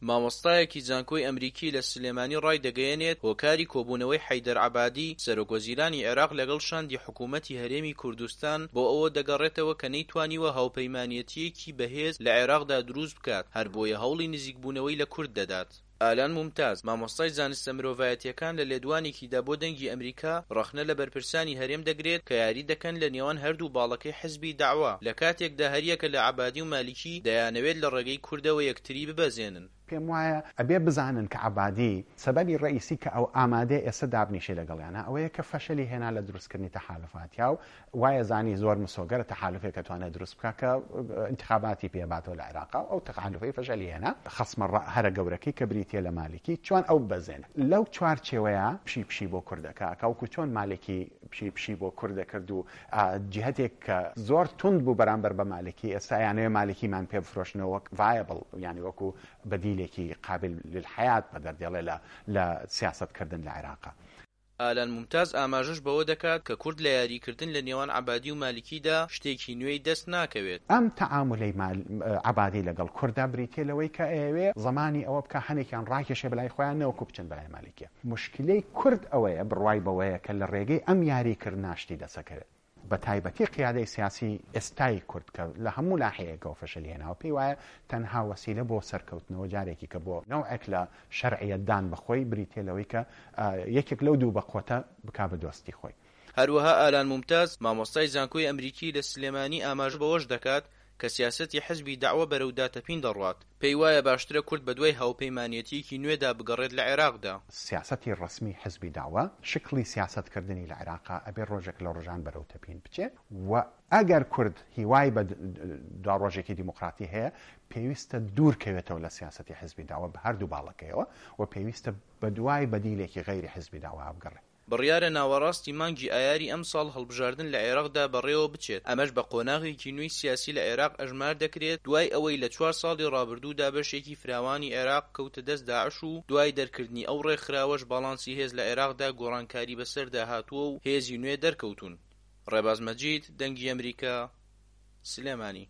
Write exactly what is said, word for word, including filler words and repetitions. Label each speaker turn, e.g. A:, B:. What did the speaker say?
A: مامۆستایەکی زانکۆی ئەمریکی لە سلێمانی ڕایدەگەیەنێت، هۆکاری کۆبوونەوەی حەیدەر عەبادی، سەرۆکوەزیرانی عێراق لەگەڵ شاندی حکوومەتی هەرێمی کوردستان بۆ ئەوە دەگەڕێتەوە کە نەیتوانیوە هاوپەیمانێتییەکی بەهێز لە عێراقدا دروست بکات، هەربۆیە هەوڵی نزیکبوونەوەی لە کورد دەدات. ئالان مومتاز، مامۆستای زانستە مرۆڤایەتییەکان لە لێدوانێکیدا بۆ دەنگی ئەمریکا ڕەخنە لە بەرپرسانی هەرێم دەگرێت کە یاری دەکەن لە نێوان هەردوو باڵەکەی حزبی دەعوە لە کاتێکدا هەریەکە لە عەبادی و مالکی دەیانەوێت لە ڕێگەی کوردەوە یەکتری ببەزێنن.
B: پێم وایە ئەبێ بزانن کە عەبادی سەبەبی ڕەئیسی کە ئەو ئامادەیە ئێستا دابنیشێ لەگەڵیانا ئەوەیە کە فەشەلی هێنا لە دروستکردنی تەحالوفاتیا و وایە زانی زۆر مسۆگەرە تەحالوفێک ئەتوانێ دروست بکا کە ئینتخاباتی پێ باتەوە لە عێراقا و ئەو تەحالوفەی فەشەلی هێنا. خەسمە هەرە گەورەکەی کە بریتیە لە مالکی چۆن ئەو ببەزێنێ لەو چوارچێوەیە پشی پشی بۆ کورد ئەکا ئەکا وەکو چۆن مالکی پشی پشی بۆ کورد ئەکرد و جیهەتێک کە زۆر توند بوو بەرامبەر بە مالکی ئێستا ئەیانەوێ مالکیمان پێ بفرۆشنەوە وەک ڤایەبڵ یانی وەکو بەدیلێکی قابل للحیات بەدەر دێڵێ لە لە سیاسەت کردن لە عێراقا.
A: ئالان مومتاز ئاماژەش بەوە دەکات کە کورد لە یاریکردن لە نێوان عەبادی و مالکیدا شتێکی نوێی دەست ناکەوێت.
B: ئەم تەعامولەی عەبادی لەگەڵ کوردا بریتیە لەوەی کە ئەیەوێ زەمانی ئەوە بکا هەنێکیان ڕاکێشێ بەلای خۆیان نەوەکو بچن بەلای مالکیە. موشکیلەی کورد ئەوەیە بڕوای بەوەیە کە لە ڕێگەی ئەم یاریکردنە شتی دەسەکەوێت. بە تایبەتی قیادەی سیاسی ئێستای کورد کە لە هەموو ناحیەیەکەوە فەشەلی هێناوە پێی وایە تەنها وەسیلە بۆ سەرکەوتنەوە جارێکی کە بۆ نەوعێک لە شەرعیەت دان بە خۆی بریتیە لەوەی کە یەکێک لەو دوو بەقوەتە بکا بە دۆستی خۆی.
A: هەروەها ئالان مومتاز، مامۆستای زانکۆی ئەمریکی لە سلێمانی ئاماژە بەوەش دەکات کە سیاسەتی حزبی دەعوە بەرەو داتەپین دەڕوات، پێی وایە باشترە کورد بەدوای هاوپەیمانێتییەکی نوێدا بگەڕێت لە عێراقدا.
B: سیاسەتی ڕەسمی حزبی دەعوە، شکڵی سیاسەتکردنی لە عێراقا ئەبێ ڕۆژێک لە ڕۆژان بەرەو تەپین بچێ و ئەگەر کورد هیوای بە دواڕۆژێکی دیموکراتی هەیە پێویستە دوور کەوێتەوە لە سیاسەتی حزبی دەعوە بە هەردوو باڵەکەیەوە و پێویستە بەدوای بەدیلێکی غەیری حزبی دەعوە بگەڕێ.
A: بڕیارە ناوەڕاستی مانگی ئایاری ئەمساڵ هەڵبژاردن لە عێراقدا بەڕێوە بچێت، ئەمەش بە قۆناغێکی نوێی سیاسی لە عێراق ئەژمار دەکرێت دوای ئەوەی لە چوار ساڵی ڕابردوودا بەشێکی فراوانی عێراق کەوتە دەست داعش و دوای دەرکردنی ئەو ڕێکخراوەش باڵانسی هێز لە عێراقدا گۆڕانکاری بەسەردا هاتووە و هێزی نوێ دەرکەوتوون. ڕێباز مەجید، دەنگی ئەمریکا، سلێمانی.